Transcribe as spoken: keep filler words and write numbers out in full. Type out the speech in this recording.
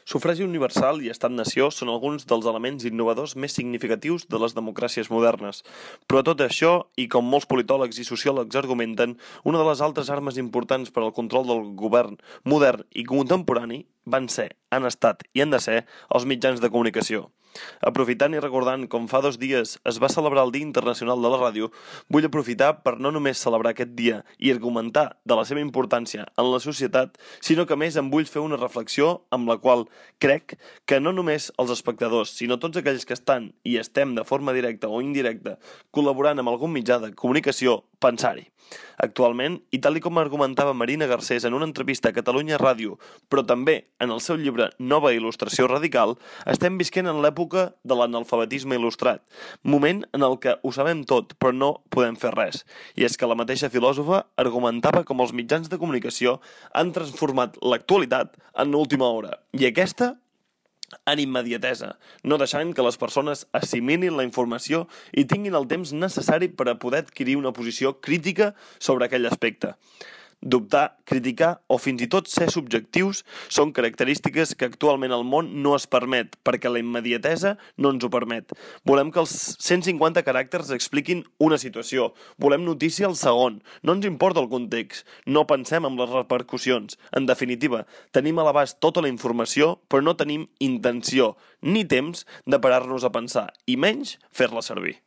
Sufragi universal i estat-nació són alguns dels elements innovadors més significatius de les democràcies modernes. Però tot això, i com molts politòlegs i sociòlegs argumenten, una de les altres armes importants per al control del govern modern i contemporani van ser, han estat i han de ser els mitjans de comunicació. Aprofitant i recordant com fa dos dies es va celebrar el Dia Internacional de la Ràdio, vull aprofitar per no només celebrar aquest dia i argumentar de la seva importància en la societat, sinó que a més em vull fer una reflexió amb la qual crec que no només els espectadors, sinó tots aquells que estan i estem de forma directa o indirecta col·laborant amb algun mitjà de comunicació, pensar-hi. Actualment, i tal i com argumentava Marina Garcés en una entrevista a Catalunya Ràdio, però també en el seu llibre Nova Il·lustració Radical, estem visquent en l'època de l'analfabetisme il·lustrat, moment en el que ho sabem tot, però no podem fer res. I és que la mateixa filòsofa argumentava com els mitjans de comunicació han transformat l'actualitat en l'última hora. I aquesta en immediatesa, no deixant que les persones assimilin la informació i tinguin el temps necessari per a poder adquirir una posició crítica sobre aquell aspecte. Dubtar, criticar o fins i tot ser subjectius són característiques que actualment el món no es permet, perquè la immediatesa no ens ho permet. Volem que els cent cinquanta caràcters expliquin una situació. Volem notícia al segon. No ens importa el context. No pensem en les repercussions. En definitiva, tenim a l'abast tota la informació, però no tenim intenció ni temps de parar-nos a pensar, i menys fer-la servir.